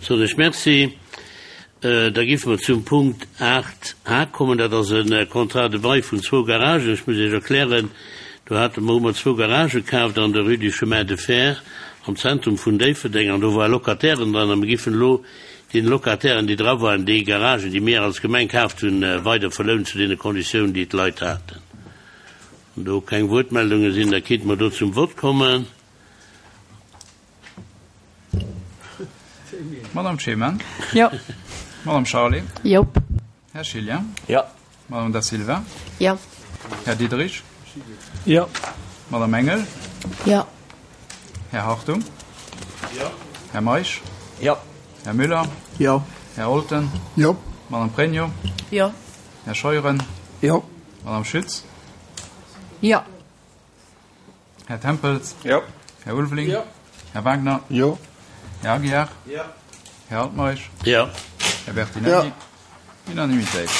Soen ech Merci. Da géife mer zum Punkt 8 a kommen. Dat ass e Contrat de bail vun zwou Garagen. Ech muss Iech erklären, do hate mer, hu mer zwou Garagë kaaft an der Rue du Chemin de Fer am Zentrum vun Déifferdeng an do ware Locatairen dran a mir giffen elo deene Locatairen, déi dra waren, déi Garagen, déi mir als Gemeng kaaft hunn, weider verlounen zu deene Konditiounen, déi d'Leit haten. Wann do keng Wuertmeldunge sinn, da kéinte mer do zum Vott kommen. Madame Ceman. Jo. Madame Charlé. Jop. Här Schilja. Jo. Madame Da Silva. Jo. Här Diderich. Jo. Madame Engel. Jo. Här Hartung. Jo. Här Meisch. Jo. Här Müller. Jo. Här Olten. Jo. Madame Pregno. Jo. Här Scheuren. Jo. Madame Schütz. Jo. Här Tempels. Jo. Här Ulveling. Jo. Här Wagner. Jo. Här Aguiar. Jo. Här Altmeisch. Jo. Här Bertinelli. Jo. Unanimitéit.